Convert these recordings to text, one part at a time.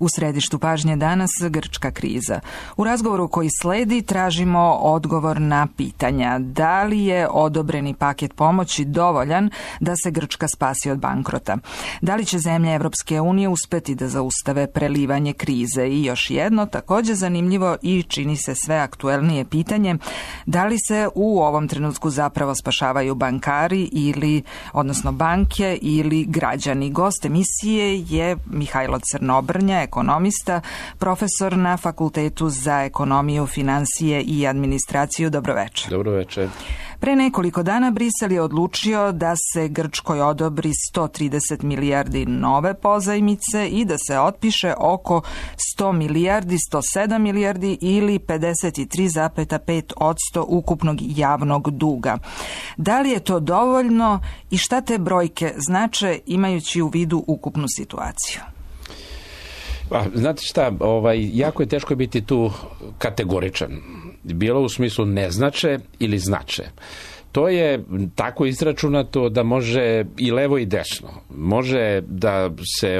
U središtu pažnje danas grčka kriza. U razgovoru koji sledi tražimo odgovor na pitanja da li je odobreni paket pomoći dovoljan da se Grčka spasi od bankrota. Da li će zemlje Evropske unije uspeti da zaustave prelivanje krize i još jedno, također zanimljivo i čini se sve aktuelnije pitanje, da li se u ovom trenutku zapravo spašavaju bankari odnosno banke ili građani. Gost emisije je Mihajlo Crnobrnja, ekonomista, profesor na Fakultetu za ekonomiju, financije i administraciju. Dobroveče. Dobroveče. Pre nekoliko dana Brisel je odlučio da se Grčkoj odobri 130 milijardi nove pozajmice i da se otpiše oko 100 milijardi, 107 milijardi ili 53,5% ukupnog javnog duga. Da li je to dovoljno i šta te brojke znače imajući u vidu ukupnu situaciju? Znate šta, jako je teško biti tu kategoričan. Bilo u smislu ne znače ili znače. To je tako izračunato da može i levo i desno. Može da se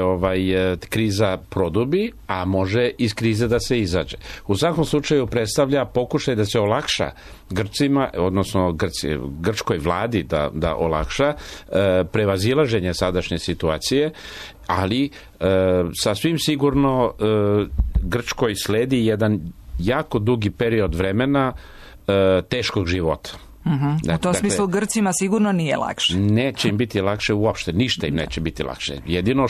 kriza produbi, a može iz krize da se izađe. U svakom slučaju predstavlja pokušaj da se olakša Grcima, odnosno grčkoj vladi da olakša prevazilaženje sadašnje situacije, ali sasvim sigurno Grčkoj sledi jedan jako dugi period vremena teškog života. U tom smislu Grcima sigurno nije lakše. Neće im biti lakše uopšte, ništa im neće biti lakše. Jedino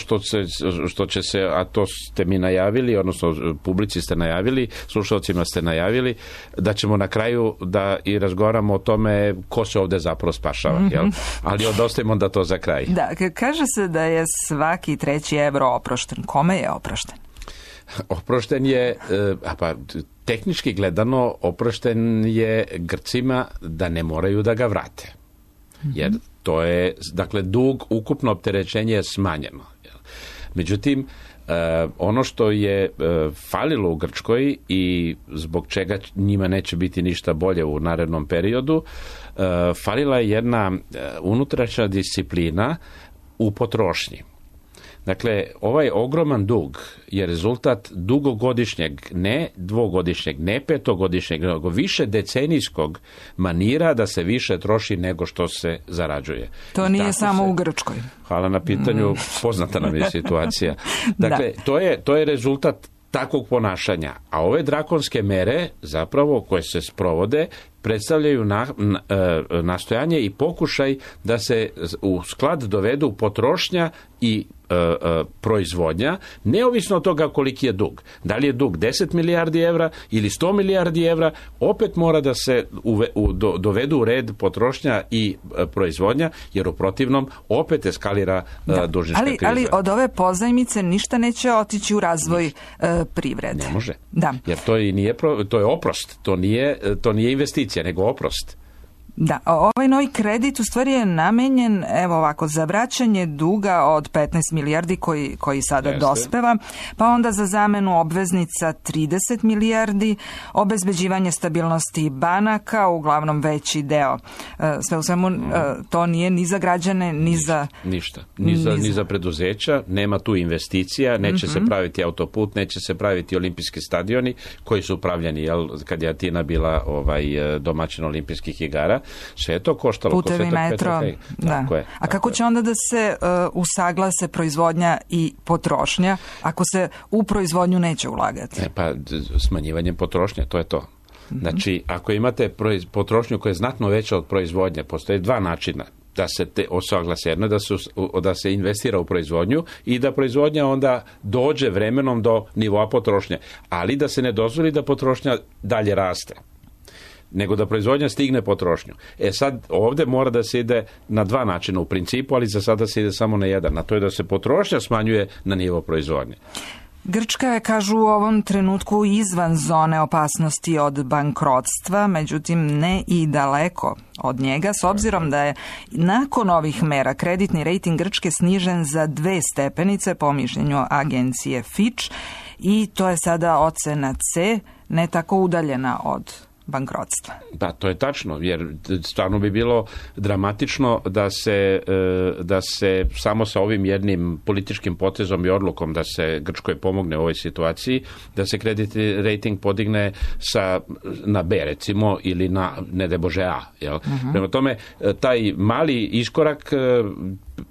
što će se, a to ste mi najavili, odnosno publici ste najavili, slušalcima ste najavili, da ćemo na kraju da i razgovaramo o tome ko se ovde zapravo spašava. Jel? Ali odostavimo da to za kraj. Da, kaže se da je svaki 3. evro oprošten. Kome je oprošten? Oprošten je, tehnički gledano, oprošten je Grcima da ne moraju da ga vrate. Jer to je, dug, ukupno opterećenje je smanjeno. Međutim, ono što je falilo u Grčkoj i zbog čega njima neće biti ništa bolje u narednom periodu, falila je jedna unutrašnja disciplina u potrošnji. Dakle, ovaj ogroman dug je rezultat dugogodišnjeg, ne dvogodišnjeg, ne petogodišnjeg, nego više decenijskog manira da se više troši nego što se zarađuje. To nije samo u Grčkoj. Hvala na pitanju, poznata nam je situacija. Dakle, to je rezultat takvog ponašanja. A ove drakonske mere, zapravo, koje se sprovode, predstavljaju nastojanje i pokušaj da se u sklad dovedu potrošnja i proizvodnja, neovisno od toga koliki je dug. Da li je dug 10 milijardi evra ili 100 milijardi evra, opet mora da se dovedu u red potrošnja i proizvodnja, jer u protivnom opet eskalira dužnička kriza. Ali od ove pozajmice ništa neće otići u razvoj privrede. Ne može. Da. Jer to je oprost, to nije investicija, nego oprost. Da, ovaj novi kredit u stvari je namenjen, za vraćanje duga od 15 milijardi koji sada dospeva, pa onda za zamenu obveznica 30 milijardi, obezbeđivanje stabilnosti banaka, uglavnom veći deo. Sve u svemu, to nije ni za građane, ni za... Ništa. Ni za preduzeća, nema tu investicija, neće se praviti autoput, neće se praviti olimpijski stadioni koji su upravljeni, kad je Atina bila domaćin olimpijskih igara. Sve je to koštalo. Putevi, metro. A kako će onda da se usaglase proizvodnja i potrošnja ako se u proizvodnju neće ulagati? Smanjivanjem potrošnje, to je to. Znači, ako imate potrošnju koja je znatno veća od proizvodnje, postoje dva načina da se osaglase. Jedno da se investira u proizvodnju i da proizvodnja onda dođe vremenom do nivoa potrošnje, ali da se ne dozvoli da potrošnja dalje raste, nego da proizvodnja stigne potrošnju. Sad ovdje mora da se ide na dva načina u principu, ali za sada se ide samo na jedan, a to je da se potrošnja smanjuje na nivo proizvodnje. Grčka je, kažu, u ovom trenutku izvan zone opasnosti od bankrotstva, međutim ne i daleko od njega, s obzirom da je nakon ovih mera kreditni rejting Grčke snižen za 2 stepenice po mišljenju agencije Fitch i to je sada ocena C, ne tako udaljena od bankrotstva. Da, to je tačno, jer stvarno bi bilo dramatično da se samo sa ovim jednim političkim potezom i odlukom da se Grčkoj pomogne u ovoj situaciji, da se kreditni rating podigne na B, recimo, ili na, ne daj Bože, A. Jel? Prema tome, taj mali iskorak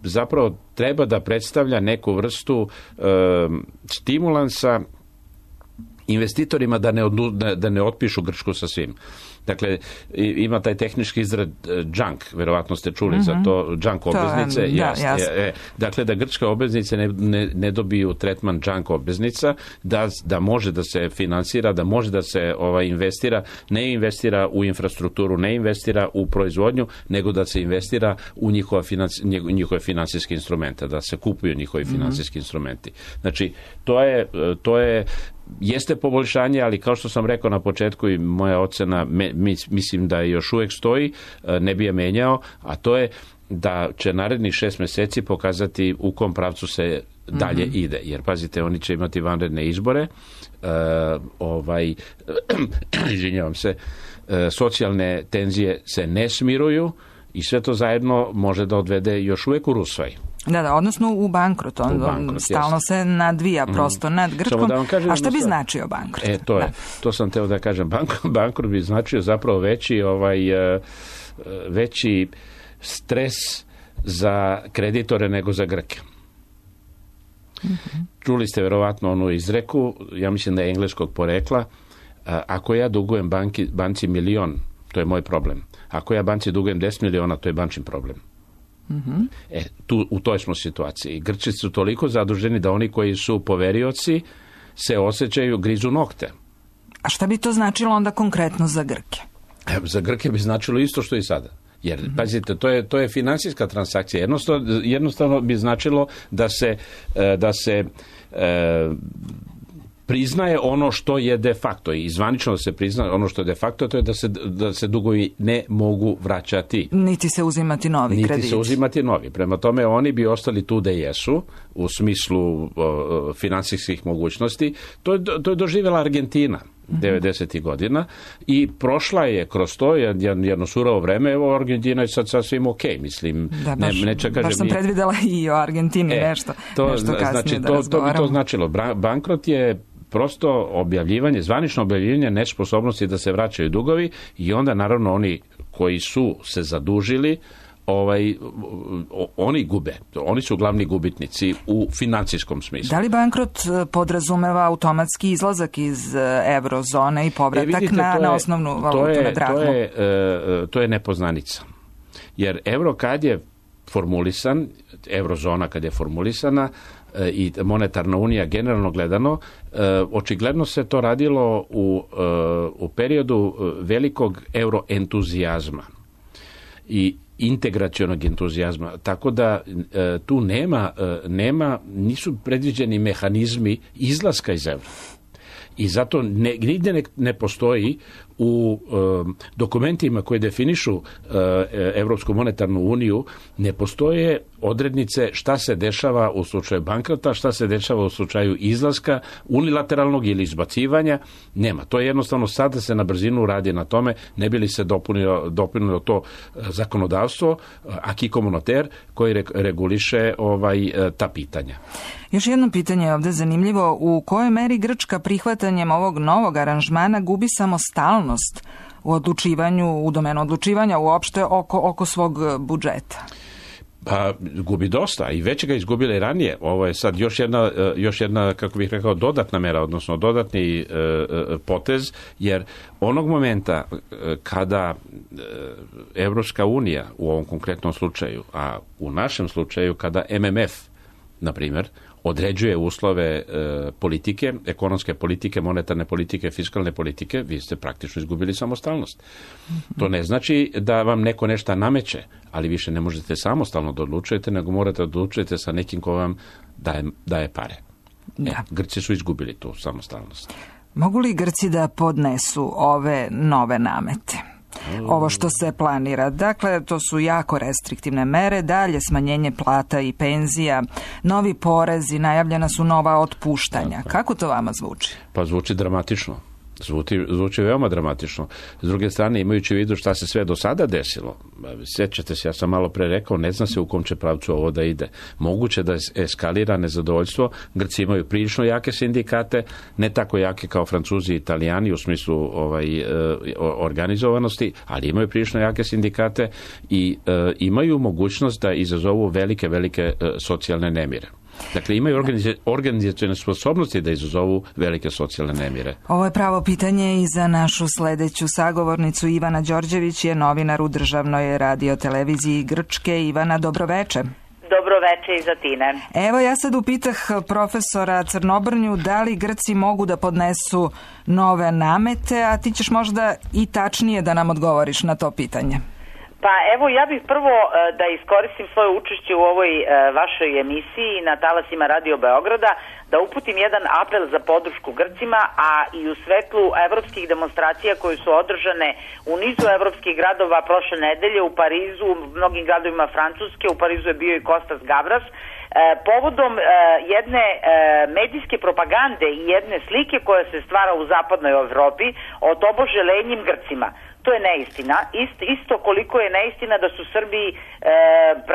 zapravo treba da predstavlja neku vrstu stimulansa investitorima da ne otpišu Grčku sa svim. Dakle, ima taj tehnički izraz junk, verovatno ste čuli za to, junk obveznice. Dakle, da grčke obveznice ne dobiju tretman junk obveznica, da može da se finansira, da može da se investira, ne investira u infrastrukturu, ne investira u proizvodnju, nego da se investira u njihove finansijske instrumente, da se kupuju njihovi finansijski instrumenti. Znači, to je jeste poboljšanje, ali kao što sam rekao na početku i moja ocena, mislim da još uvijek stoji, ne bi je menjao, a to je da će narednih 6 mjeseci pokazati u kom pravcu se dalje ide. Jer, pazite, oni će imati vanredne izbore, izvinjavam se, socijalne tenzije se ne smiruju i sve to zajedno može da odvede još uvijek u rusvaj. Da, odnosno u bankrot. Stalno se nadvija prosto nad Grčkom. A šta bi značio bankrot? To sam teo da kažem. Bankrot bi značio zapravo veći stres za kreditore nego za Grke. Čuli ste verovatno onu izreku, ja mislim da je engleskog porekla, ako ja dugujem banci 1.000.000, to je moj problem. Ako ja banci dugujem 10 miliona, to je bančin problem. U toj smo situaciji. Grci su toliko zaduženi da oni koji su poverioci se osjećaju, grizu nokte. A šta bi to značilo onda konkretno za Grke? Za Grke bi značilo isto što i sada. Jer, pazite, to je finansijska transakcija. Jednostavno bi značilo da se priznaje ono što je de facto i zvanično da se priznaje ono što je de facto, to je da se dugovi ne mogu vraćati. Niti se uzimati novi krediti. Niti se uzimati novi. Prema tome, oni bi ostali tu da jesu u smislu finansijskih mogućnosti. To je doživjela Argentina 90. godina i prošla je kroz to jedno surovo vreme. Evo, Argentina je sad sasvim ok, mislim. Da, baš sam predvidela i o Argentini nešto kasnije znači, da razgovaramo. To bi to značilo. Bankrot je prosto zvanično objavljivanje nesposobnosti da se vraćaju dugovi i onda naravno oni koji su se zadužili, oni gube. Oni su glavni gubitnici u financijskom smislu. Da li bankrot podrazumeva automatski izlazak iz eurozone i povratak na osnovnu valutu, na drahmu? To je nepoznanica. Jer euro kad je formulisan, eurozona kad je formulisana i monetarna unija generalno gledano, očigledno se to radilo u periodu velikog euroentuzijazma i integracionog entuzijazma, tako da tu nisu predviđeni mehanizmi izlaska iz eura. I zato nigdje ne postoji u dokumentima koji definišu Europsku monetarnu uniju, ne postoje odrednice šta se dešava u slučaju bankrota, šta se dešava u slučaju izlaska, unilateralnog ili izbacivanja. Nema. To je jednostavno sada se na brzinu radi na tome, ne bi li se dopunilo to zakonodavstvo, acquis communautaire, koji reguliše ta pitanja. Još jedno pitanje je ovdje zanimljivo. U kojoj meri Grčka prihvatanjem ovog novog aranžmana gubi samostalnost u domenu odlučivanja uopšte oko svog budžeta? Pa gubi dosta i već ga izgubila i ranije. Ovo je sad još jedna, kako bih rekao, dodatna mera, odnosno dodatni potez, jer onog momenta kada Evropska unija u ovom konkretnom slučaju, a u našem slučaju kada MMF, na primjer, određuje uslove politike, ekonomske politike, monetarne politike, fiskalne politike, vi ste praktično izgubili samostalnost. To ne znači da vam neko nešto nameće, ali više ne možete samostalno da odlučujete, nego morate odlučujete sa nekim ko vam daje pare. Grci su izgubili tu samostalnost. Mogu li Grci da podnesu ove nove namete? Ovo što se planira. Dakle, to su jako restriktivne mere, dalje smanjenje plata i penzija, novi porezi, najavljena su nova otpuštanja. Kako to vama zvuči? Pa zvuči dramatično. Zvuči veoma dramatično. S druge strane, imajući u vidu šta se sve do sada desilo, sjećate se, ja sam malo pre rekao, ne zna se u kom će pravcu ovo da ide. Moguće da eskalira nezadovoljstvo. Grci imaju prilično jake sindikate, ne tako jake kao Francuzi i Italijani u smislu organizovanosti, ali imaju prilično jake sindikate i imaju mogućnost da izazovu velike socijalne nemire. Dakle, imaju organizacione sposobnosti da izazovu velike socijalne nemire. Ovo je pravo pitanje i za našu sledeću sagovornicu. Ivana Đorđević je novinar u državnoj radioteleviziji Grčke. Ivana, dobroveče. Dobroveče iz Atine. Evo, ja sad upitah profesora Crnobrnju da li Grci mogu da podnesu nove namete, a ti ćeš možda i tačnije da nam odgovoriš na to pitanje. Pa evo, ja bih prvo da iskoristim svoje učešće u ovoj vašoj emisiji na talasima Radio Beograda, da uputim jedan apel za podršku Grcima, a i u svetlu evropskih demonstracija koje su održane u nizu evropskih gradova prošle nedelje, u Parizu, u mnogim gradovima Francuske, u Parizu je bio i Kostas Gavras, povodom jedne medijske propagande i jedne slike koja se stvara u zapadnoj Evropi o tobože lenjim Grcima. To je neistina. Isto koliko je neistina da su Srbi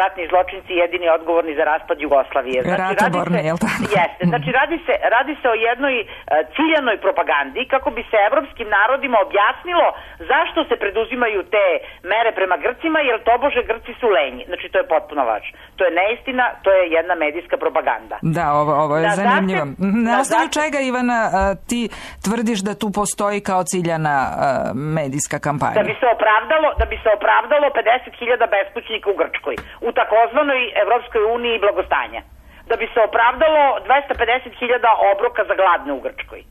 ratni zločinci jedini odgovorni za raspad Jugoslavije. Ratoborni, je li tako? Jeste. Znači, radi se o jednoj ciljanoj propagandi kako bi se evropskim narodima objasnilo zašto se preduzimaju te mere prema Grcima, jer tobože Grci su lenji. Znači, to je potpuno laž. To je neistina, to je jedna medijska propaganda. Da, ovo je zanimljivo. Na osnovu čega, Ivana, ti tvrdiš da tu postoji kao ciljana medijska kampanja? Da bi se opravdalo 50.000 beskućnika u Grčkoj, u takozvanoj Evropskoj uniji blagostanja. Da bi se opravdalo 250.000 obroka za gladne u Grčkoj.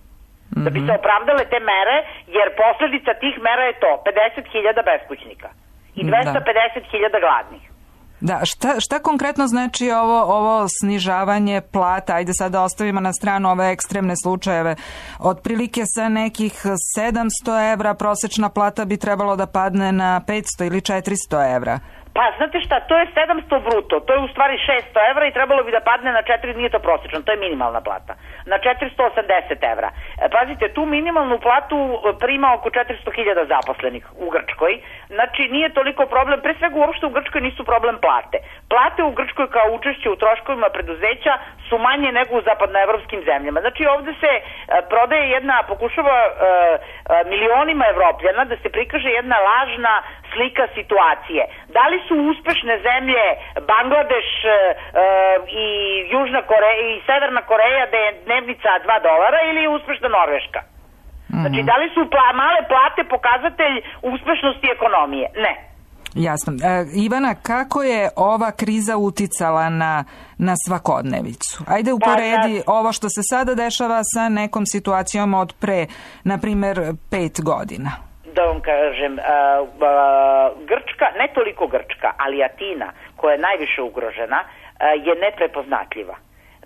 Da bi se opravdale te mere, jer posljedica tih mera je to 50.000 beskućnika i 250.000 gladnih. Da, šta konkretno znači ovo snižavanje plata? Ajde sad da ostavimo na stranu ove ekstremne slučajeve. Otprilike sa nekih 700 evra prosečna plata bi trebalo da padne na 500 ili 400 evra. Pa, znate šta, to je 700 bruto, to je u stvari 600 evra i trebalo bi da padne na 4, nije to prosječno, to je minimalna plata, na 480 evra. Pazite, tu minimalnu platu prima oko 400.000 zaposlenih u Grčkoj, znači nije toliko problem, pre svega uopšte u Grčkoj nisu problem plate. Plate u Grčkoj kao učešće u troškovima preduzeća su manje nego u zapadnoevropskim zemljama. Znači ovde se prodaje pokušava milionima Evropljana da se prikaže jedna lažna slika situacije. Da li su uspešne zemlje Bangladeš i Južna Koreja i Severna Koreja da je dnevnica $2 ili je uspešna Norveška? Znači, da li su male plate pokazatelj uspešnosti ekonomije? Ne. Jasno. Ivana, kako je ova kriza uticala na svakodnevicu? Ajde uporedi ovo što se sada dešava sa nekom situacijom od pre, na primer, 5 godina. Da vam kažem, Grčka, ne toliko Grčka, ali Atina, koja je najviše ugrožena, je neprepoznatljiva.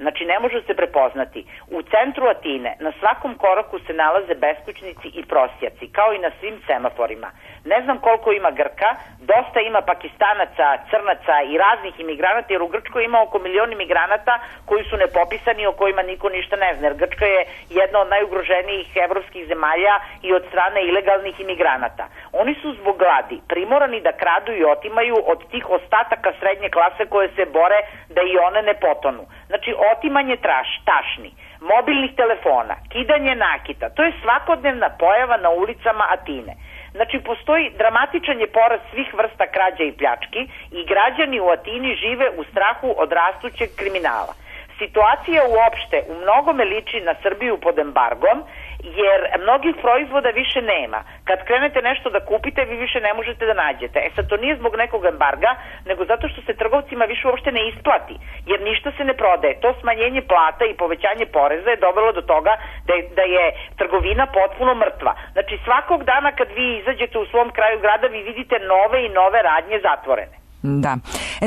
Znači, ne može se prepoznati. U centru Atine na svakom koraku se nalaze beskućnici i prosjaci, kao i na svim semaforima. Ne znam koliko ima Grka, dosta ima Pakistanaca, Crnaca i raznih imigranata, jer u Grčkoj ima oko 1 milion imigranata koji su nepopisani, o kojima niko ništa ne zna. Jer Grčka je jedna od najugroženijih evropskih zemalja i od strane ilegalnih imigranata. Oni su zbog gladi primorani da kradu i otimaju od tih ostataka srednje klase koje se bore da i one ne potonu. Znači, otimanje tašni, mobilnih telefona, kidanje nakita, to je svakodnevna pojava na ulicama Atine. Znači, postoji dramatičan je porast svih vrsta krađa i pljački i građani u Atini žive u strahu od rastućeg kriminala. Situacija uopšte u mnogome liči na Srbiju pod embargom, jer mnogih proizvoda više nema. Kad krenete nešto da kupite, vi više ne možete da nađete. Sad, to nije zbog nekog embarga, nego zato što se trgovcima više uopšte ne isplati, jer ništa se ne prodaje. To smanjenje plata i povećanje poreza je dovelo do toga da je trgovina potpuno mrtva. Znači, svakog dana kad vi izađete u svom kraju grada, vi vidite nove i nove radnje zatvorene. Da.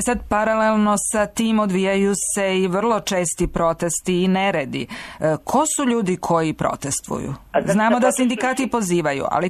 Sad, paralelno sa tim odvijaju se i vrlo česti protesti i neredi. Ko su ljudi koji protestuju? Znamo da sindikati pozivaju, ali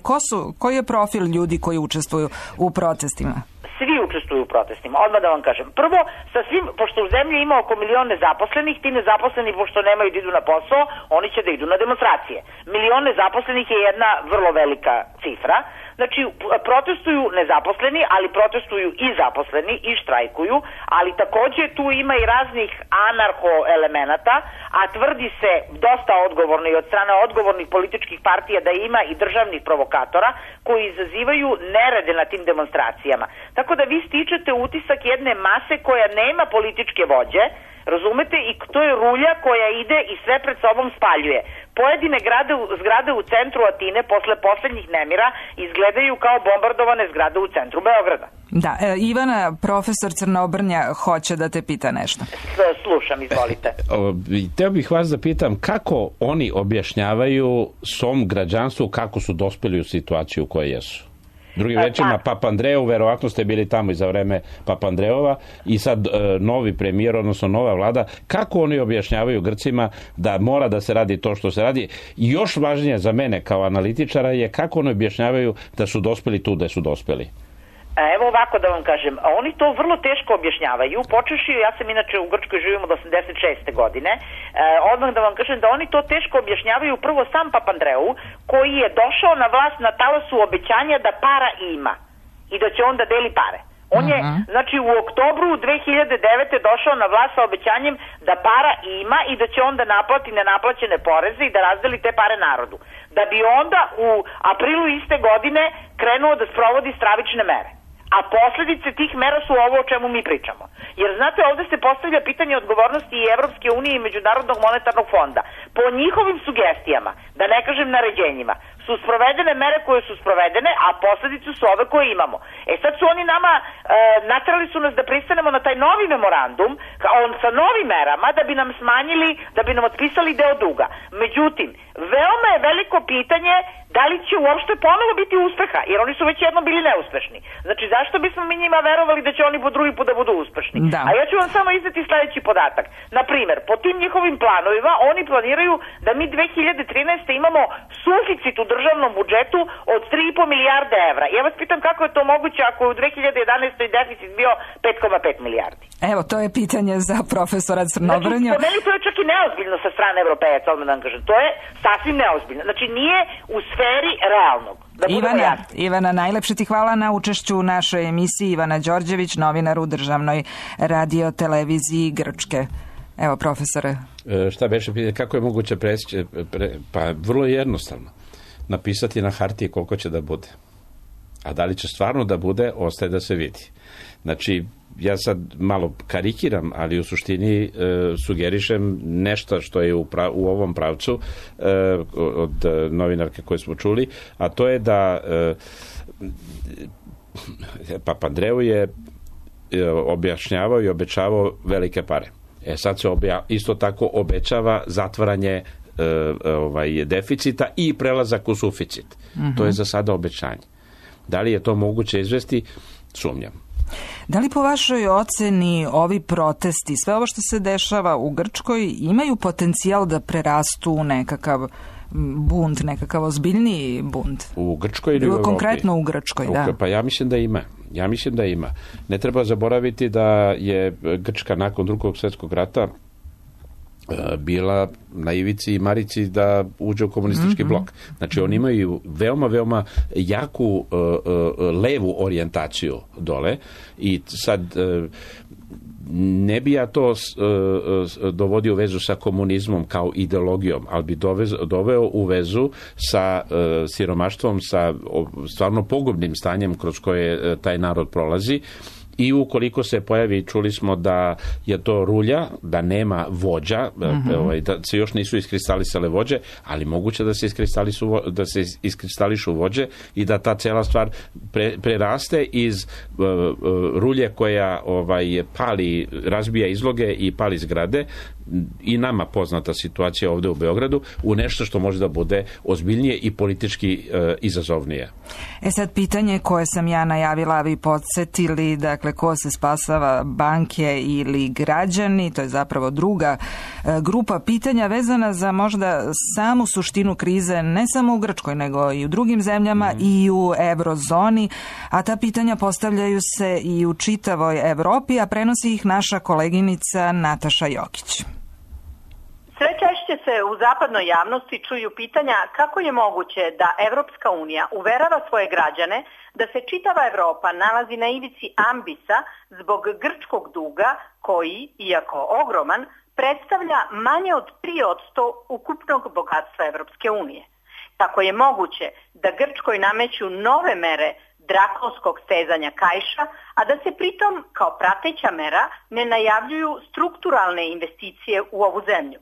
koji je profil ljudi koji učestvuju u protestima? Svi učestvuju učestvuju u protestima. Odmah da vam kažem. Prvo, sa svim, pošto u zemlji ima oko 1 milion nezaposlenih, ti nezaposleni, pošto nemaju da idu na posao, oni će da idu na demonstracije. 1 milion nezaposlenih je jedna vrlo velika cifra. Znači, protestuju nezaposleni, ali protestuju i zaposleni i štrajkuju, ali takođe tu ima i raznih anarho-elemenata, a tvrdi se dosta odgovorno i od strane odgovornih političkih partija da ima i državnih provokatora koji izazivaju nerede na tim demonstracijama. Tako da vi stičete utisak jedne mase koja nema političke vođe, razumete, i to je rulja koja ide i sve pred sobom spaljuje. Pojedine zgrade u centru Atine posle poslednjih nemira izgledaju kao bombardovane zgrade u centru Beograda. Da, Ivana, profesor Crnobrnja hoće da te pita nešto. Slušam, izvolite. Teo bih vas da pitam kako oni objašnjavaju svom građanstvu kako su dospeli u situaciju u kojoj jesu. Drugim rečima, Papandreou, verovatno ste bili tamo i za vreme Papandreova i sad novi premijer, odnosno nova vlada, kako oni objašnjavaju Grcima da mora da se radi to što se radi? I još važnije za mene kao analitičara je kako oni objašnjavaju da su dospeli tu gde su dospeli. Evo ovako da vam kažem, oni to vrlo teško objašnjavaju, počeši, ja sam inače u Grčkoj živim od 86. godine, odmah da vam kažem da oni to teško objašnjavaju prvo sam Papandreou, koji je došao na vlast na talasu obećanja da para ima i da će on da deli pare. On je, znači, u oktobru 2009. došao na vlast sa obećanjem da para ima i da će onda naplati nenaplaćene poreze i da razdeli te pare narodu. Da bi onda u aprilu iste godine krenuo da sprovodi stravične mere. A posledice tih mera su ovo o čemu mi pričamo. Jer znate, ovde se postavlja pitanje odgovornosti i Evropske unije i Međunarodnog monetarnog fonda. Po njihovim sugestijama, da ne kažem naređenjima, su sprovedene mere koje su sprovedene, a posledice su ove koje imamo. E sad su oni nama, naterali su nas da pristanemo na taj novi memorandum, sa novim merama, da bi nam smanjili, da bi nam otpisali deo duga. Međutim, veoma je veliko pitanje da li će uopšte ponovo biti uspeha, jer oni su već jednom bili neuspešni. Znači, zašto bismo mi njima verovali da će oni po drugi put da budu uspešni? Da. A ja ću vam samo izneti sledeći podatak. Naprimer, po tim njihovim planovima, oni planiraju da mi 2013. imamo suficit u državnom budžetu od 3,5 milijarde evra. Ja vas pitam kako je to moguće ako je u 2011. deficit bio 5,5 milijardi. Evo, to je pitanje za profesora Crnobrnju. Znači, po meni to je čak i neozbiljno sa strane Evropejaca, odmah da vam kažem. To je sasvim neozbiljno. Znači, nije u sferi realnog. Ivana, najlepše ti hvala na učešću u našoj emisiji. Ivana Đorđević, novinar u Državnoj radioteleviziji Grčke. Evo, profesore. Šta beše, kako je moguće preći? Pa vrlo jednostavno. Napisati na hartiji koliko će da bude. A da li će stvarno da bude, ostaje da se vidi. Znači, ja sad malo karikiram, ali u suštini sugerišem nešto što je u ovom pravcu od novinarke koje smo čuli, a to je da Papandreou je objašnjavao i obećavao velike pare. Sad se isto tako obećava zatvaranje deficita i prelazak u suficit. To je za sada obećanje. Da li je to moguće izvesti? Sumnjam. Da li po vašoj oceni ovi protesti, sve ovo što se dešava u Grčkoj, imaju potencijal da prerastu u nekakav bunt, nekakav ozbiljniji bunt? U Grčkoj ili u Evropi? Konkretno u Grčkoj, da. Pa ja mislim da ima. Ne treba zaboraviti da je Grčka nakon Drugog svjetskog rata bila na ivici i marici da uđe u komunistički blok. Znači, oni imaju veoma jaku levu orijentaciju dole i sad ne bi ja to dovodio u vezu sa komunizmom kao ideologijom, ali bi doveo u vezu sa siromaštvom, sa stvarno pogubnim stanjem kroz koje taj narod prolazi. I ukoliko se pojavi, čuli smo da je to rulja, da nema vođa, da se još nisu iskristalisale vođe, ali moguće da se iskristališu vođe i da ta cela stvar preraste iz rulje koja pali, razbija izloge i pali zgrade, i nama poznata situacija ovdje u Beogradu u nešto što može da bude ozbiljnije i politički izazovnije. Sad pitanje koje sam ja najavila, a vi podsjetili, dakle ko se spasava, banke ili građani, to je zapravo druga grupa pitanja vezana za možda samu suštinu krize, ne samo u Grčkoj nego i u drugim zemljama i u eurozoni, a ta pitanja postavljaju se i u čitavoj Europi, a prenosi ih naša koleginica Nataša Jokić. Sve češće se u zapadnoj javnosti čuju pitanja kako je moguće da Evropska unija uverava svoje građane da se čitava Evropa nalazi na ivici ambisa zbog grčkog duga koji, iako ogroman, predstavlja manje od 3% ukupnog bogatstva Evropske unije. Kako je moguće da Grčkoj nameću nove mere drakonskog stezanja kaiša, a da se pritom kao prateća mera ne najavljuju strukturalne investicije u ovu zemlju?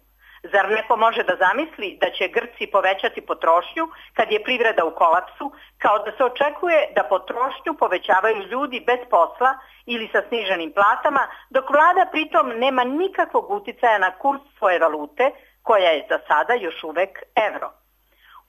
Zar neko može da zamisli da će Grci povećati potrošnju kad je privreda u kolapsu, kao da se očekuje da potrošnju povećavaju ljudi bez posla ili sa sniženim platama, dok vlada pritom nema nikakvog uticaja na kurs svoje valute, koja je za sada još uvek evro?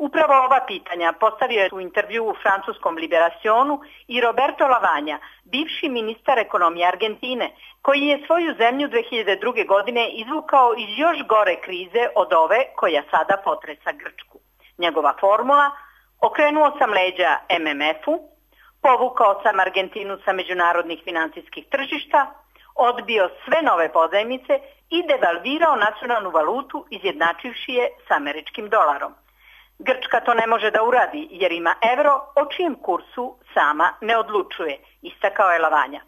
Upravo ova pitanja postavio je u intervju u francuskom Liberationu i Roberto Lavagna, bivši ministar ekonomije Argentine, koji je svoju zemlju 2002. godine izvukao iz još gore krize od ove koja sada potresa Grčku. Njegova formula: okrenuo sam leđa MMF-u, povukao sam Argentinu sa međunarodnih financijskih tržišta, odbio sve nove pozajmice i devalvirao nacionalnu valutu izjednačivši je s američkim dolarom. Grčka to ne može da uradi jer ima evro o čijem kursu sama ne odlučuje, istakao je Lavagna.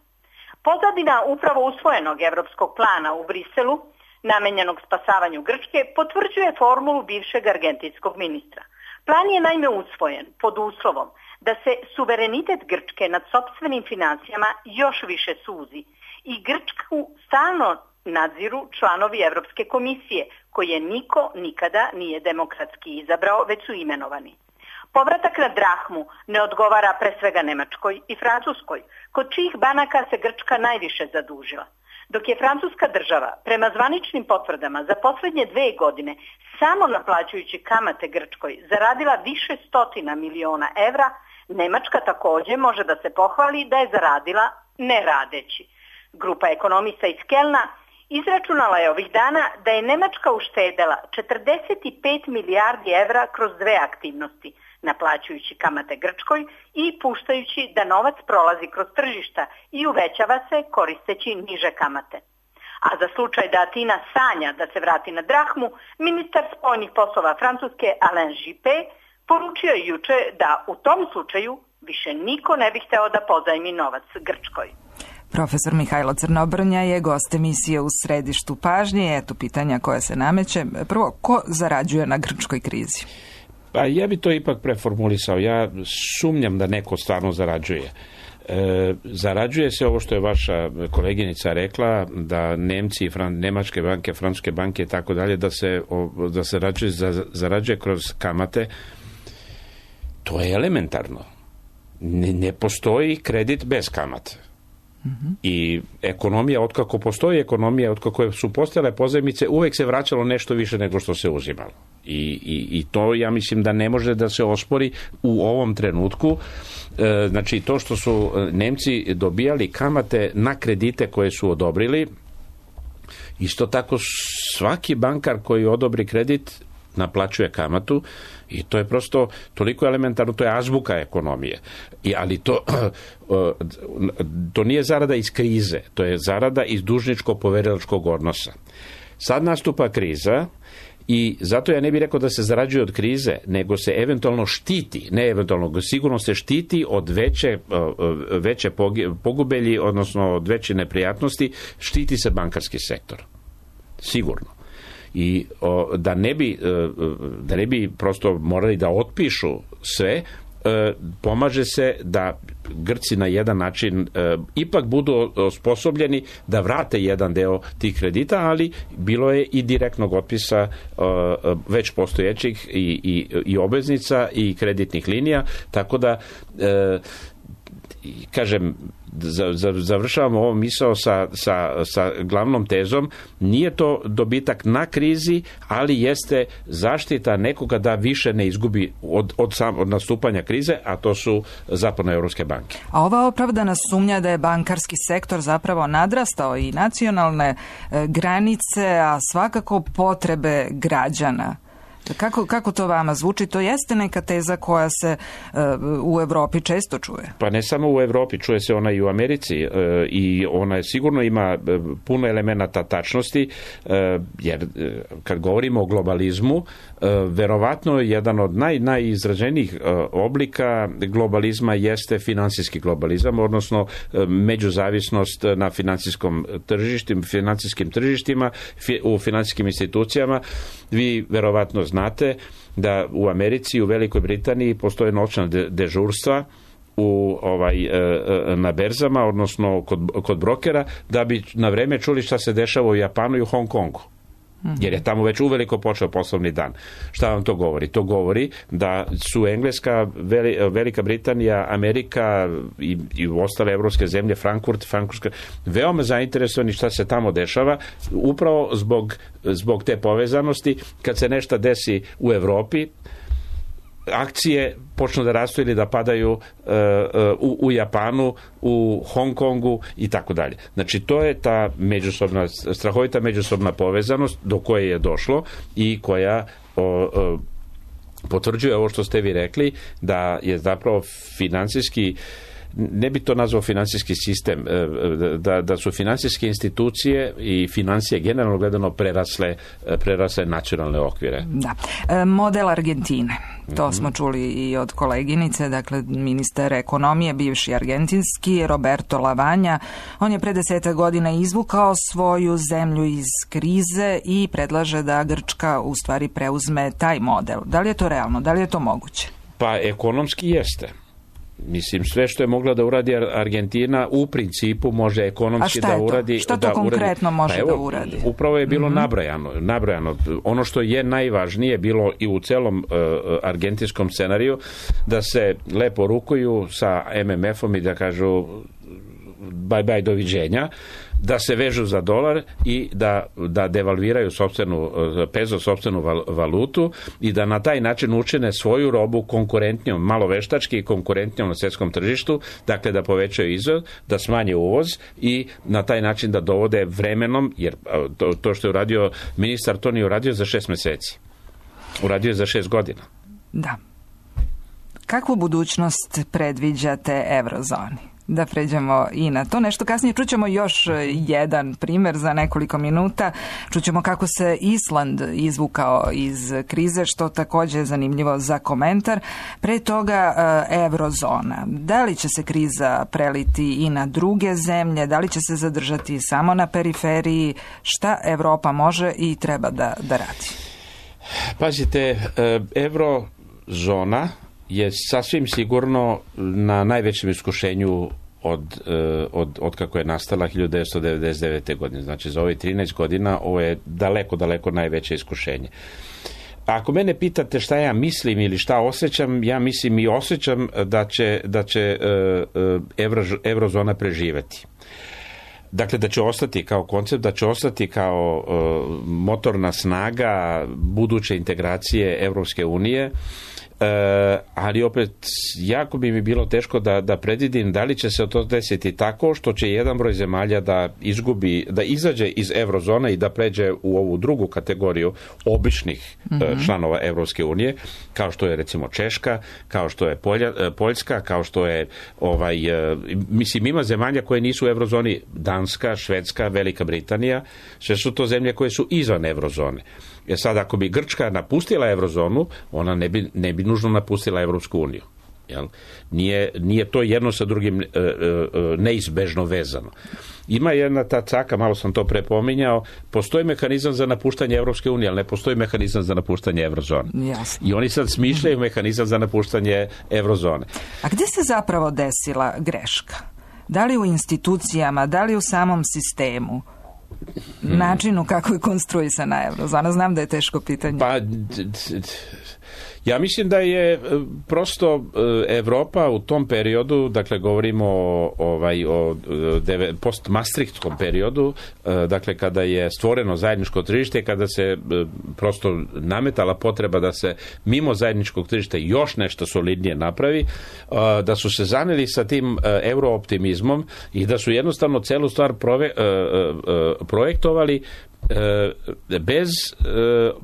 Pozadina upravo usvojenog evropskog plana u Briselu, namenjenog spasavanju Grčke, potvrđuje formulu bivšeg argentinskog ministra. Plan je naime usvojen pod uslovom da se suverenitet Grčke nad sopstvenim financijama još više suzi i Grčku stalno nadziru članovi Evropske komisije, koje niko nikada nije demokratski izabrao, već su imenovani. Povratak na drahmu ne odgovara pre svega Nemačkoj i Francuskoj, kod čijih banaka se Grčka najviše zadužila. Dok je francuska država prema zvaničnim potvrdama za posljednje 2 godine samo naplaćujući kamate Grčkoj zaradila više stotina miliona evra, Nemačka također može da se pohvali da je zaradila ne radeći. Grupa ekonomista iz Kelna izračunala je ovih dana da je Nemačka uštedela 45 milijardi evra kroz 2 aktivnosti, naplaćujući kamate Grčkoj i puštajući da novac prolazi kroz tržišta i uvećava se koristeći niže kamate. A za slučaj da Atina sanja da se vrati na drahmu, ministar spoljnih poslova Francuske Alain Juppé poručio je juče da u tom slučaju više niko ne bi hteo da pozajmi novac Grčkoj. Profesor Mihajlo Crnobrnja je gost emisije U središtu pažnje. Eto pitanja koja se nameće. Prvo, ko zarađuje na grčkoj krizi? Pa ja bi to ipak preformulisao. Ja sumnjam da neko stvarno zarađuje. Zarađuje se ovo što je vaša koleginica rekla, da Nemci, nemačke banke, francuske banke i tako dalje, da se zarađuje kroz kamate. To je elementarno. Ne postoji kredit bez kamate. I ekonomija, otkako postoji ekonomija, otkako su postojale pozajmice, uvek se vraćalo nešto više nego što se uzimalo. I to ja mislim da ne može da se ospori u ovom trenutku. Znači to što su Nemci dobijali kamate na kredite koje su odobrili, isto tako svaki bankar koji odobri kredit naplaćuje kamatu i to je prosto toliko elementarno, to je azbuka ekonomije. Ali to nije zarada iz krize, to je zarada iz dužničko-poverilačkog odnosa. Sad nastupa kriza i zato ja ne bih rekao da se zarađuje od krize, nego se eventualno štiti, ne eventualno, sigurno se štiti od veće pogubelji, odnosno od veće neprijatnosti, štiti se bankarski sektor. Sigurno. I da ne bi prosto morali da otpišu sve, pomaže se da Grci na jedan način ipak budu osposobljeni da vrate jedan deo tih kredita, ali bilo je i direktnog otpisa već postojećih i obveznica i kreditnih linija, tako da kažem, završavamo ovo misao sa glavnom tezom, nije to dobitak na krizi, ali jeste zaštita nekoga da više ne izgubi od nastupanja krize, a to su zapadnoevropske banke. A ova opravdana sumnja da je bankarski sektor zapravo nadrastao i nacionalne granice, a svakako potrebe građana. Kako to vama zvuči? To jeste neka teza koja se u Europi često čuje. Pa ne samo u Europi, čuje se ona i u Americi i ona sigurno ima puno elemenata tačnosti, jer kad govorimo o globalizmu, verovatno jedan od najizraženijih oblika globalizma jeste finansijski globalizam, odnosno međuzavisnost na financijskim tržištima, u financijskim institucijama. Vi verovatno znate da u Americi i u Velikoj Britaniji postoje noćna dežurstva na berzama, odnosno kod brokera, da bi na vreme čuli šta se dešava u Japanu i u Hong Kongu. Jer je tamo već uveliko počeo poslovni dan. Šta vam to govori? To govori da su Engleska, Velika Britanija, Amerika i ostale evropske zemlje, Frankurska, veoma zainteresovani šta se tamo dešava, upravo zbog te povezanosti. Kad se nešto desi u Evropi, akcije počnu da rastu ili da padaju u Japanu, u Hong Kongu i tako dalje. Znači, to je ta strahovita međusobna povezanost do koje je došlo i koja potvrđuje ovo što ste vi rekli, da je zapravo financijski, ne bi to nazvao financijski sistem, da su financijske institucije i financije generalno gledano prerasle nacionalne okvire. Da. Model Argentine. To smo čuli i od koleginice, dakle ministar ekonomije, bivši argentinski, Roberto Lavanja. On je pre 10 godina izvukao svoju zemlju iz krize i predlaže da Grčka u stvari preuzme taj model. Da li je to realno? Da li je to moguće? Pa ekonomski jeste. Mislim, sve što je mogla da uradi Argentina u principu može ekonomski da uradi. Šta to konkretno može da uradi? Upravo je bilo nabrojano. Ono što je najvažnije bilo i u celom argentinskom scenariju, da se lepo rukuju sa MMF-om i da kažu bye doviđenja, da se vežu za dolar i da devalviraju sopstvenu valutu i da na taj način učine svoju robu konkurentnijom, malo veštački i konkurentnijom na svjetskom tržištu, dakle da povećaju izvoz, da smanje uvoz i na taj način da dovode vremenom, jer to što je uradio ministar, to nije uradio za 6 meseci. Uradio je za 6 godina. Da. Kakvu budućnost predviđate eurozoni? Da pređemo i na to. Nešto kasnije čućemo još jedan primjer za nekoliko minuta. Čućemo kako se Island izvukao iz krize, što također je zanimljivo za komentar. Pre toga eurozona. Da li će se kriza preliti i na druge zemlje? Da li će se zadržati samo na periferiji? Šta Evropa može i treba da radi? Pazite, eurozona je sasvim sigurno na najvećem iskušenju od kako je nastala 1999. godine. Znači, za ove 13 godina ovo je daleko najveće iskušenje. Ako mene pitate šta ja mislim ili šta osjećam, ja mislim i osjećam da će eurozona preživeti. Dakle, da će ostati kao koncept, da će ostati kao motorna snaga buduće integracije Evropske unije, ali opet jako bi mi bilo teško da predvidim da li će se to desiti tako što će jedan broj zemalja da izađe iz eurozone i da pređe u ovu drugu kategoriju običnih članova Evropske unije, kao što je recimo Češka, kao što je Poljska, kao što je mislim, ima zemalja koje nisu u eurozoni, Danska, Švedska, Velika Britanija, sve su to zemlje koje su izvan eurozone. Jer sad, ako bi Grčka napustila eurozonu, ona ne bi nužno napustila Evropsku uniju. Jel? Nije to jedno sa drugim neizbežno vezano. Ima jedna ta caka, malo sam to prepominjao, postoji mehanizam za napuštanje Evropske unije, ali ne postoji mehanizam za napuštanje eurozone. Jasno. I oni sad smišljaju mehanizam za napuštanje eurozone. A gdje se zapravo desila greška? Da li u institucijama, da li u samom sistemu? Načinu kako je konstruisana eurozona? Znam da je teško pitanje. Pa, Ja mislim da je prosto Evropa u tom periodu, dakle govorimo o post-Maastrichtskom periodu, dakle kada je stvoreno zajedničko tržište, kada se prosto nametala potreba da se mimo zajedničkog tržišta još nešto solidnije napravi, da su se zaneli sa tim eurooptimizmom i da su jednostavno celu stvar projektovali bez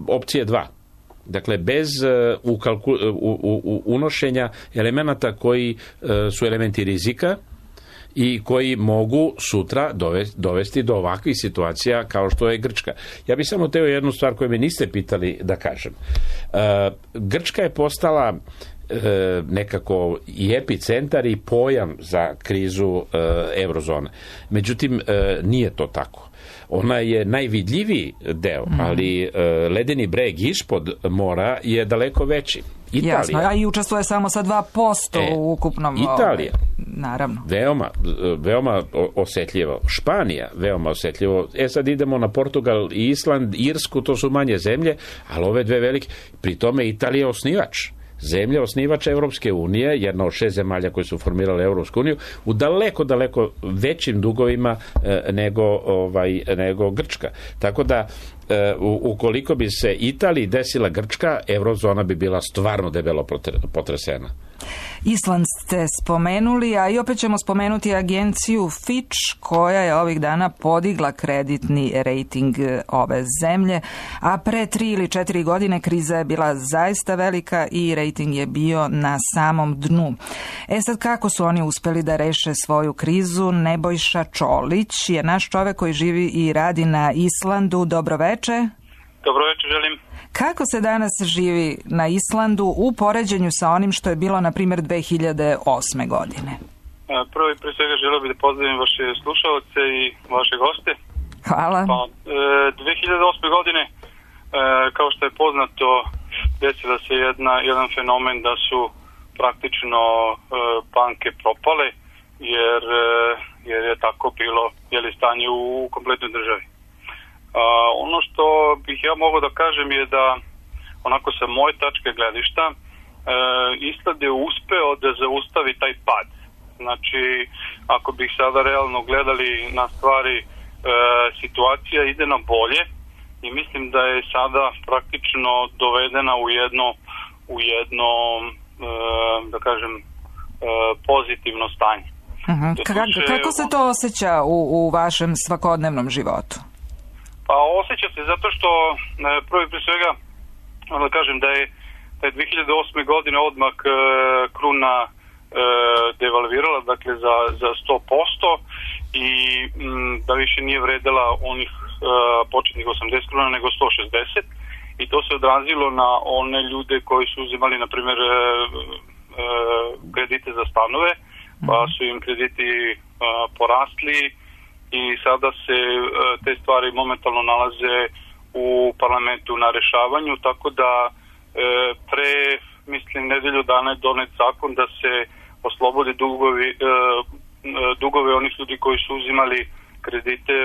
opcije 2. Dakle, bez unošenja elemenata koji su elementi rizika i koji mogu sutra dovesti do ovakvih situacija kao što je Grčka. Ja bih samo teo jednu stvar koju me niste pitali da kažem. Grčka je postala nekako i epicentar i pojam za krizu eurozone. Međutim, nije to tako. Ona je najvidljiviji deo, ali ledeni breg ispod mora je daleko veći. Italija. Jasno, a i učestvuje samo sa 2% u ukupnom... Italija. Naravno. Veoma osetljivo. Španija, veoma osetljivo. Sad idemo na Portugal i Island, Irsku, to su manje zemlje, ali ove dve velike. Pri tome Italija je osnivač. Zemlja osnivač Evropske unije, jedna od 6 zemalja koje su formirale Evropsku uniju, u daleko većim dugovima nego Grčka. Tako da, ukoliko bi se Italiji desila Grčka, eurozona bi bila stvarno debelo potresena. Island ste spomenuli, a i opet ćemo spomenuti agenciju Fitch, koja je ovih dana podigla kreditni rejting ove zemlje, a pre 3 ili 4 godine kriza je bila zaista velika i rejting je bio na samom dnu. Sad kako su oni uspeli da reše svoju krizu? Nebojša Čolić je naš čovek koji živi i radi na Islandu. Dobro veče. Dobro veče, želim. Kako se danas živi na Islandu u poređenju sa onim što je bilo, na primjer, 2008. godine? Prvo i pre svega želeo bih da pozdravim vaše slušalce i vaše goste. Hvala. 2008. godine, kao što je poznato, desila se jedan fenomen da su praktično banke propale, jer je tako bilo stanje u kompletnoj državi. Ono što bih ja mogao da kažem je da, onako sa moje tačke gledišta, Island je uspeo da zaustavi taj pad. Znači, ako bih sada realno gledali na stvari, situacija ide na bolje i mislim da je sada praktično dovedena u jedno da kažem, pozitivno stanje. Kako se to osjeća u vašem svakodnevnom životu? Pa osjeća se zato što prvo i pre svega da kažem da je 2008. godine odmah kruna devalvirala, dakle za 100% i da više nije vredela onih početnih 80 kruna nego 160 i to se odrazilo na one ljude koji su uzimali na primjer kredite za stanove, pa su im krediti porasli i sada se te stvari momentalno nalaze u parlamentu na rešavanju, tako da mislim nedelju dana je donet zakon da se oslobode dugove onih ljudi koji su uzimali kredite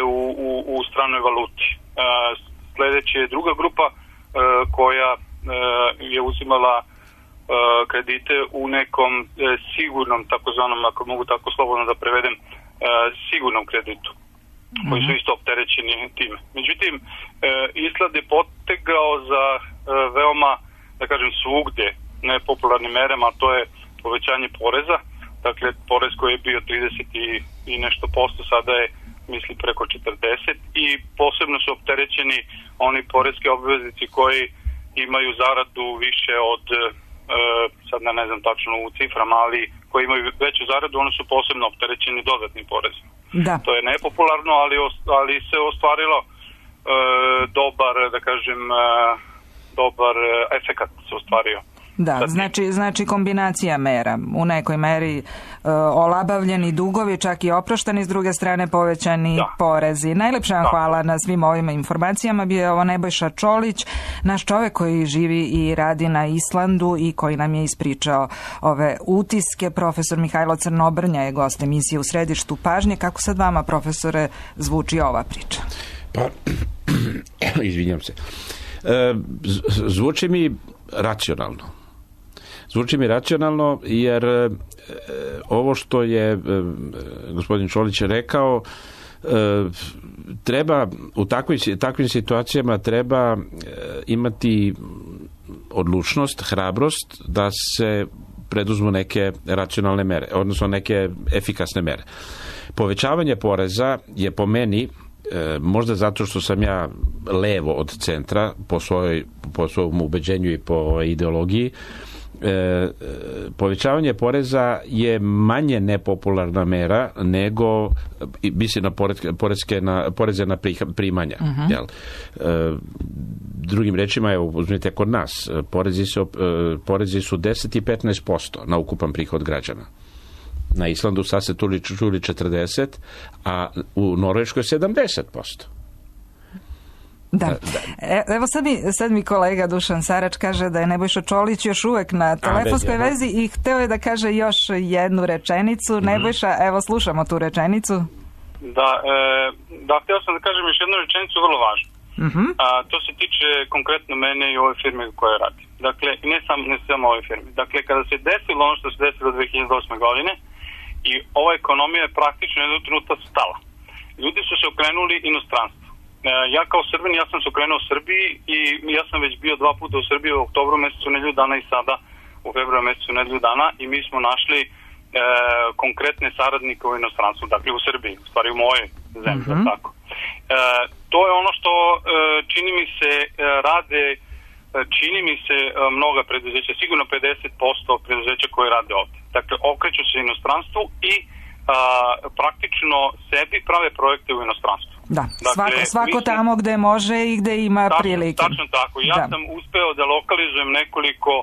u stranoj valuti. Sledeće je druga grupa koja je uzimala kredite u nekom sigurnom, takozvanom, ako mogu tako slobodno da prevedem, sigurnom kreditu, koji su isto opterećeni time. Međutim, Island je potegao za veoma, da kažem, svugde nepopularnim merama, a to je povećanje poreza. Dakle, porez koji je bio 30 i nešto posto, sada je, mislim, preko 40 i posebno su opterećeni oni porezki obveznici koji imaju zaradu više od, sad ne znam tačno u ciframa, ali koji imaju veću zaradu, oni su posebno opterećeni dodatnim porezom. Da. To je nepopularno, ali se ostvarilo dobar efekat se ostvario. Da, znači kombinacija mera. U nekoj meri olabavljeni dugovi, čak i oprošteni, s druge strane povećani porezi. Najlepša vam hvala na svim ovim informacijama. Bio je ovo Nebojša Čolić, naš čovek koji živi i radi na Islandu i koji nam je ispričao ove utiske. Profesor Mihajlo Crnobrnja je gost emisije U središtu pažnje. Kako sad vama, profesore, zvuči ova priča? Pa, izvinjam se. Zvuči mi racionalno. Zvuči mi racionalno jer ovo što je gospodin Čolić rekao, treba u takvim situacijama treba imati odlučnost, hrabrost da se preduzmu neke racionalne mere, odnosno neke efikasne mere. Povećavanje poreza je po meni, možda zato što sam ja levo od centra po svom ubeđenju i po ideologiji, povećavanje poreza je manje nepopularna mera nego mislim na poreze na primanja. Jel? Drugim rečima, evo, uzmite kod nas, porezi su 10 i 15% na ukupan prihod građana. Na Islandu sad se čuli 40, a u Norveškoj 70%. Da. Evo sad mi kolega Dušan Sarač kaže da je Nebojša Čolić još uvek na telefonskoj vezi i hteo je da kaže još jednu rečenicu. Nebojša, evo slušamo tu rečenicu. Da, hteo sam da kažem još jednu rečenicu vrlo važnu. To se tiče konkretno mene i ove firme koje radi. Dakle, ne samo ove firme. Dakle, kada se desilo ono što se desilo 2008. godine i ova ekonomija je praktično jednog trenutka stala. Ljudi su se okrenuli inostranstvu. Ja kao Srbin, ja sam se okrenuo Srbiji i ja sam već bio 2 puta u Srbiji u oktobru mesecu nedelju dana i sada u februaru mesecu nedelju dana i mi smo našli konkretne saradnike u inostranstvu, dakle u Srbiji, u stvari u mojoj zemlji, tako. To je ono što čini mi se rade, mnoga preduzeća, sigurno 50% preduzeća koje rade ovde. Dakle, okreću se inostranstvu i praktično sebi prave projekte u inostranstvu. Da, dakle, svako tamo gde može i gde ima prilike. Tačno tako. Ja sam uspeo da lokalizujem nekoliko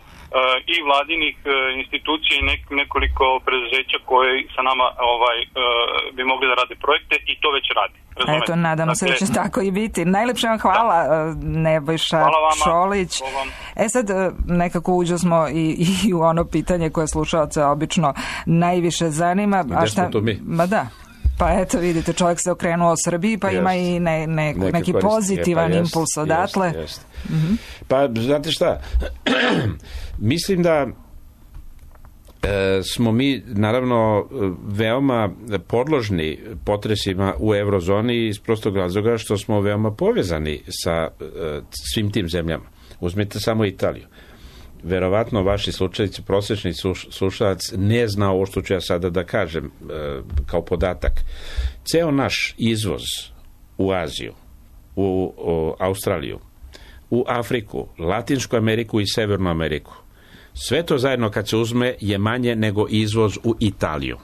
i vladinih institucija i nekoliko preduzeća koje sa nama bi mogli da rade projekte i to već radi. Razumete? Eto, nadamo se da će tako i biti. Najlepše vam hvala, Nebojša Čolić. Sad nekako uđo smo i u ono pitanje koje slušalce obično najviše zanima. Gde smo to mi? Ma da. Pa eto, vidite, čovjek se okrenuo Srbiji, pa ima i neki pozitivan impuls odatle. Pa, znate šta, mislim da smo mi, naravno, veoma podložni potresima u eurozoni iz prostog razloga što smo veoma povezani sa svim tim zemljama. Uzmite samo Italiju. Verovatno vaši slučajci, prosječni slušalac ne zna ovo što ću ja sada da kažem kao podatak. Ceo naš izvoz u Aziju, u Australiju, u Afriku, Latinsku Ameriku i Severnu Ameriku, sve to zajedno kad se uzme je manje nego izvoz u Italiju.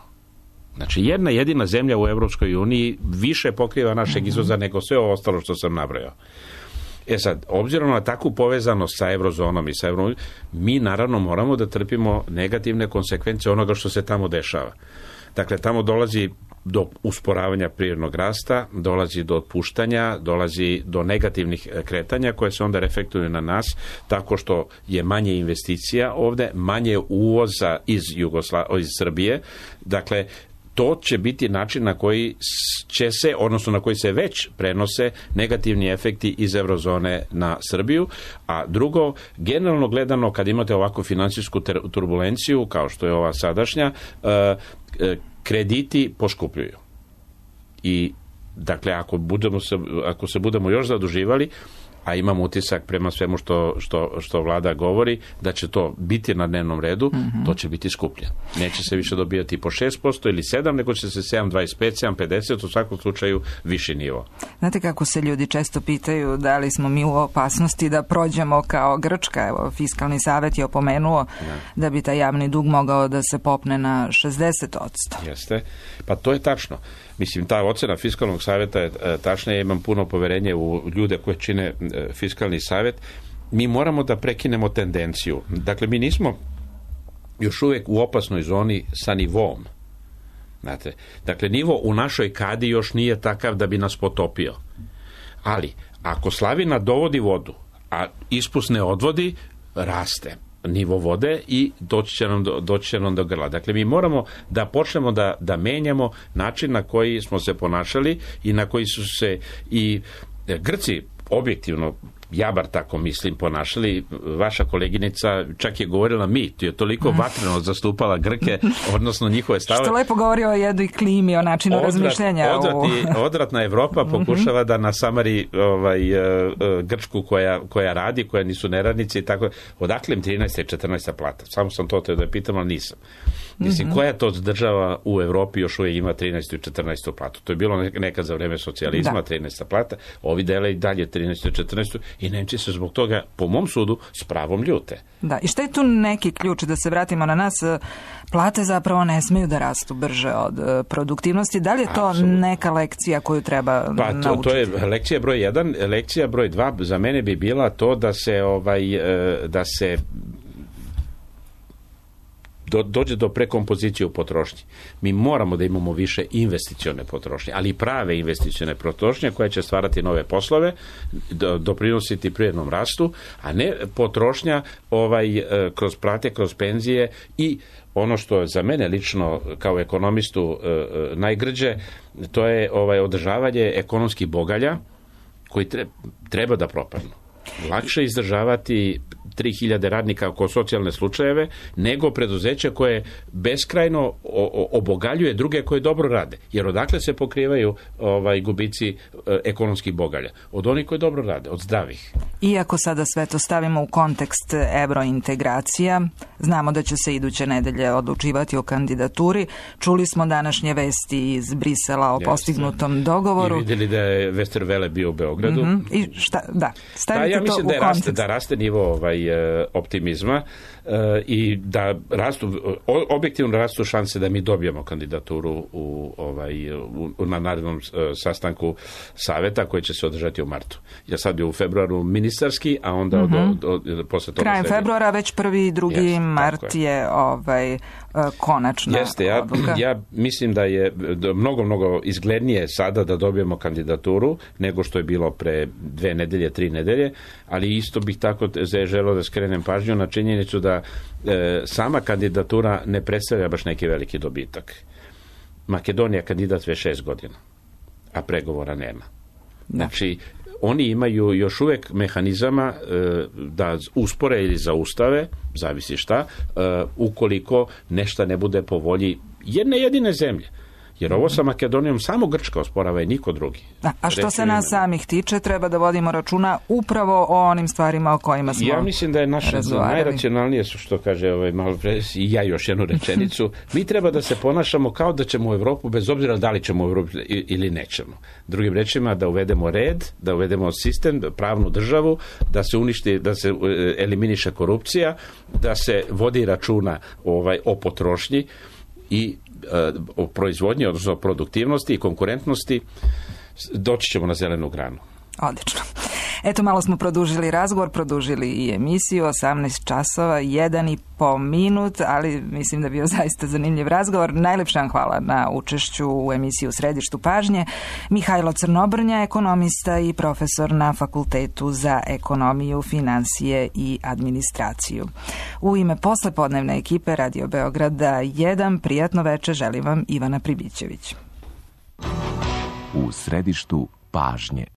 Znači, jedna jedina zemlja u Evropskoj uniji više pokriva našeg izvoza nego sve ovo ostalo što sam nabrojao. Sad, obzirom na takvu povezanost sa eurozonom i sa eurom, mi naravno moramo da trpimo negativne konsekvence onoga što se tamo dešava. Dakle, tamo dolazi do usporavanja prirodnog rasta, dolazi do otpuštanja, dolazi do negativnih kretanja koje se onda reflektuju na nas tako što je manje investicija ovde, manje uvoza iz Srbije. Dakle, to će biti način na koji će se, odnosno na koji se već prenose negativni efekti iz eurozone na Srbiju, a drugo, generalno gledano, kad imate ovakvu finansijsku turbulenciju, kao što je ova sadašnja, krediti poskupljuju. I, dakle, ako se budemo još zaduživali, a imam utisak prema svemu što vlada govori, da će to biti na dnevnom redu, to će biti skuplje. Neće se više dobijati po 6% ili 7%, nego će se 7,25, 7,50, u svakom slučaju viši nivo. Znate kako se ljudi često pitaju da li smo mi u opasnosti da prođemo kao Grčka? Evo, Fiskalni savet je opomenuo da bi taj javni dug mogao da se popne na 60%. Jeste, pa to je tačno. Mislim, ta ocena Fiskalnog savjeta je tačna, ja imam puno poverenje u ljude koje čine Fiskalni savjet. Mi moramo da prekinemo tendenciju. Dakle, mi nismo još uvijek u opasnoj zoni sa nivom. Znate, dakle, nivo u našoj kadi još nije takav da bi nas potopio. Ali, ako slavina dovodi vodu, a ispust ne odvodi, raste nivo vode i doći će nam do grla. Dakle, mi moramo da počnemo da menjamo način na koji smo se ponašali i na koji su se i Grci objektivno ja bar tako mislim, ponašali. Vaša koleginica čak je govorila je toliko vatreno zastupala Grke, odnosno njihove stavove. Što lepo govori o jednoj klimi, o načinu razmišljanja. Odvratna Evropa pokušava da nasamari Grčku koja radi, koja nisu neradnici i tako. Odakle im 13. i 14. plata? Samo sam to da pitam, ali nisam. Mislim, koja to država u Evropi još uvijek ima 13. i 14. platu? To je bilo nekad za vreme socijalizma, 13. plata, ovi dele i dalje 13. i 14. i Nemci se zbog toga, po mom sudu, s pravom ljute. Da, i šta je tu neki ključ, da se vratimo na nas, plate zapravo ne smeju da rastu brže od produktivnosti. Da li je to neka lekcija koju treba naučiti? To je lekcija broj 1. Lekcija broj 2 za mene bi bila to da se dođe do prekompozicije u potrošnji. Mi moramo da imamo više investicione potrošnje, ali i prave investicione potrošnje koja će stvarati nove poslove, doprinositi privrednom rastu, a ne potrošnja kroz plate, kroz penzije i ono što je za mene lično kao ekonomistu najgrđe, to je održavanje ekonomskih bogalja koji treba da propadnu. Lakše izdržavati 3000 radnika oko socijalne slučajeve, nego preduzeće koje beskrajno obogaljuje druge koje dobro rade. Jer odakle se pokrivaju gubici ekonomskih bogalja? Od onih koji dobro rade, od zdravih. Iako sada sve to stavimo u kontekst eurointegracija, znamo da će se iduće nedelje odlučivati o kandidaturi. Čuli smo današnje vesti iz Brisela o postignutom dogovoru. I vidjeli da je Westerwelle bio u Beogradu. I šta, stavite ja mislim to u kontekst. Da raste nivo optimizma i da objektivno rastu šanse da mi dobijemo kandidaturu na narednom sastanku saveta koji će se održati u martu. Ja sad je u februaru ministarski, a onda posle toga krajem februara, već 1. i 2. mart je konačna odluka. Ja mislim da je mnogo izglednije sada da dobijemo kandidaturu nego što je bilo pre 2 nedelje, 3 nedelje, ali isto bih tako želeo da skrenem pažnju na činjenicu da sama kandidatura ne predstavlja baš neki veliki dobitak. Makedonija je kandidat već 6 godina, a pregovora nema. Znači, oni imaju još uvijek mehanizama da uspore ili zaustave, zavisi šta, ukoliko nešto ne bude po volji jedne jedine zemlje. Jer ovo sa Makedonijom samo Grčka osporava i niko drugi. A što se nas samih tiče, treba da vodimo računa upravo o onim stvarima o kojima smo razgovarali. Ja mislim da je naše najracionalnije, što kaže malo pre, i ja još jednu rečenicu, mi treba da se ponašamo kao da ćemo u Evropu, bez obzira da li ćemo u Evropu ili nećemo. Drugim rečima, da uvedemo red, da uvedemo sistem, pravnu državu, da se uništi, da se eliminiše korupcija, da se vodi računa o potrošnji i o proizvodnji, odnosno o produktivnosti i konkurentnosti, doći ćemo na zelenu granu. Odlično. Eto, malo smo produžili razgovor, produžili i emisiju, 18 časova, 1,5 minut, ali mislim da je bio zaista zanimljiv razgovor. Najlepša vam hvala na učešću u emisiji U središtu pažnje. Mihajlo Crnobrnja, ekonomista i profesor na Fakultetu za ekonomiju, finansije i administraciju. U ime poslepodnevne ekipe Radio Beograda 1, prijatno večer, želim vam Ivana Pribićević. U središtu pažnje.